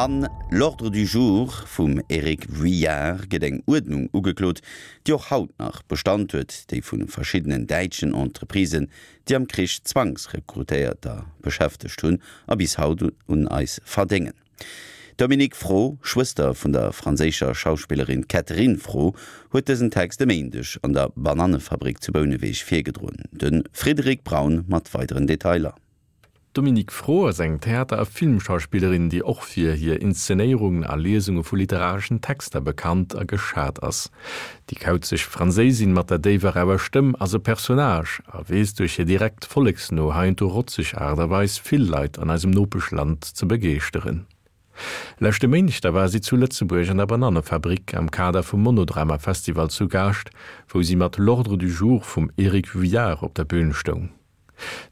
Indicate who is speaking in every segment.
Speaker 1: An L'ordre du jour vum Eric Vuillard gëtt eng Uerdnung ugeklot, déi och haut nach Bestand huet, déi vu verschiddenen däitschen Entreprisen, déi am Krich Zwangsrekrutéierter beschäftegt hunn a bis haut un eis verdéngen. D'Dominique Fraux, Schwëster vun der franséischer Schauspillerin Catherine Frot, huet dësen Text e Méindeg an der Banannefabrik zu Bouneweg virgedroen. De Frédéric Braun mat weideren Detailer.
Speaker 2: D'Dominique Fraux ass eng Theater a Filmschauspillerin, déi och fir hir Inszenéierungen a Liesunge vu literareschen Texter bekannt a geschat ass. Déi kauzeg Franséisin mat der déiwer rauer Stëmm ass e Personnage a weess duerch hir direkt, volleksno, heiansdo rotzeg Aart a Weis vill Leit an eisem Nopeschland ze begeeschteren. Leschte Méindeg da war si zu Lëtzebuerg an der Banannefabrik am Kader vum Monodrama Festival zu Gaascht, wou si mat L'Ordre du jour vum Eric Vuillard op der Bün stoung.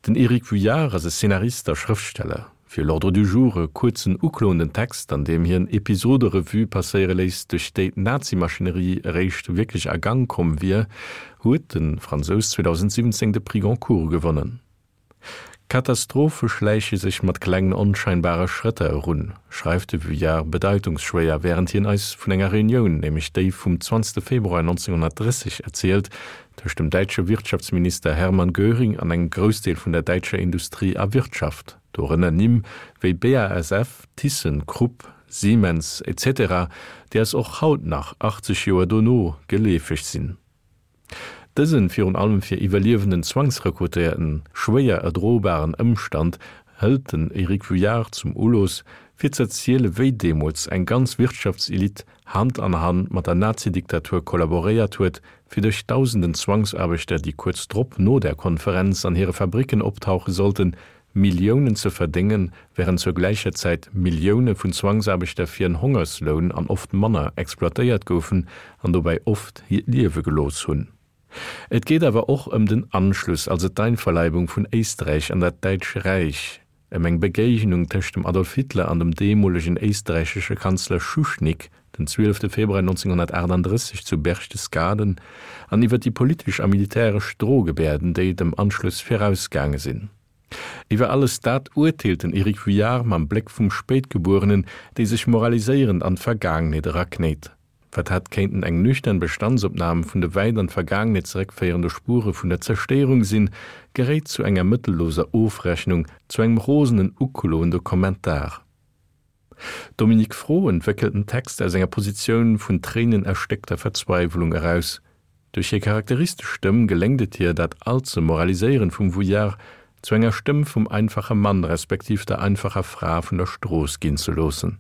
Speaker 2: Den Eric Vuillard ass e Szenarist a Schrëftsteller. Fir L'Ordre du jour, e kuerzen, ukloenden Text, an deem hien Episode Revue passéiere léisst, duerch déi d'Nazi-Maschinerie eréischt wierklech a Gang komm wier, huet de Fransous 2017 de Prix Goncourt gewonnen. Katastrophe schläiche sech mat klengen, onscheinbare Schrëtter erun, schreift de Vuillard bedeitungsschwéier, wärend hien eis vun enger Reunioun, nämlech déi vum 20 Februar 1930, erzielt, tëscht dem däitsche Wirtschaftsminister Hermann Göring an engem Groussdeel vun der däitscher Industrie a Wirtschaft, dorënner Nimm wéi BASF, Thyssen, Krupp, Siemens, etc., déi eis och haut nach, 80 Joer dono, geleefeg sinn. Dësen, virun allem fir iwwerliewenden Zwangsrekrutéierten, schwéier erdrobaren Ëmstand hëlt den Eric Vuillard zum Ulooss, fir z'erziele wéi deemools eng ganz Wirtschaftselite Hand an Hand mat der Nazidiktatur kollaboréiert huet, fir duerch dausenden Zwangsaarbechter, déi kuerz drop no där Konferenz an hire Fabricken optauche sollten, Milliounen ze verdéngen, während zur gläicher Zäit Millioune vun Zwangsaarbechter fir en Hongersloun an oft manner exploitéiert goufen an dobäi oft hiert Liewe gelooss hunn. Et geet awer och ëm den Anschluss, also d'Einverleibung vun Éisträich an dat Däitsch Räich, ëm eng Begéignung tëscht dem Adolf Hitler an dem deemolegen éisträichesche Kanzler Schuschnigg den 12 Februar 1938 zu Berchtesgaden, an iwwer déi politesch a militäresch Drohgebärden, déi dem Anschluss virausgaange sinn. Iwwer alles dat urteelt den Eric Vuillard mam Bléck vum Spéitgebuerenen, dee sech moraliséierend an d'Vergaangenheet eraknéit. Wat hätt kéinten eng nüchtern Bestandsopnam vun de wäit an d'Vergaangenheet zeréckféierende Spure vun der Zerstéierung sinn, geréit zu enger mëttelloser Ofrechnung, zu engem rosenen, ukloende Kommentar. D'Dominique Froh entwéckelt den Text aus enger Positioun vun tréinenerstéckter Verzweiwlung eraus. Duerch hir charakteristesch Stëmm geléngt et hir, dat allze Moraliséieren vum Vuillard zu enger Stëmm vum einfache Mann respektiv der einfacher Fra vun der Strooss ginn ze loossen.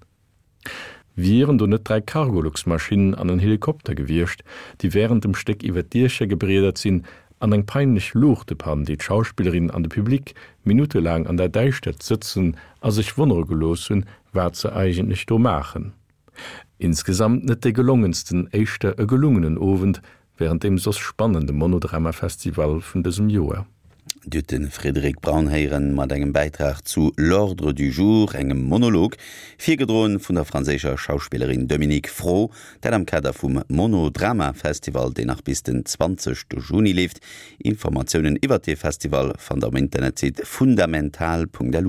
Speaker 2: Wieren do net 3 Cargolux-Maschinnen an en Helikopter gewiescht, déi wärend dem Stéck iwwer d'Diecher gebriedert sinn, an eng peinlech Luuchtepann, déi d'Schauspillerin an de Public minuttelaang an der Däischtert sëtzen a sech wonnere gelooss hunn, wat se eigentlech do maachen. Insgesamt net dee gelongensten, éischter e gelungenen Owend, Während deem soss spannende Monodrama-Festival vun dësem Joer.
Speaker 1: Dir hutt de Frédéric Braun héieren mat engem Bäitrag zu L'ordre du jour, engem Monolog, virgedroen vun der franséischer Schauspillerin Dominique Fraux, dat am Kader vum Monodrama-Festival, deen nach bis den 20 Juni leeft. Informatiounen iwwert dee Festival fannt der um Internetsite fundamental.lu.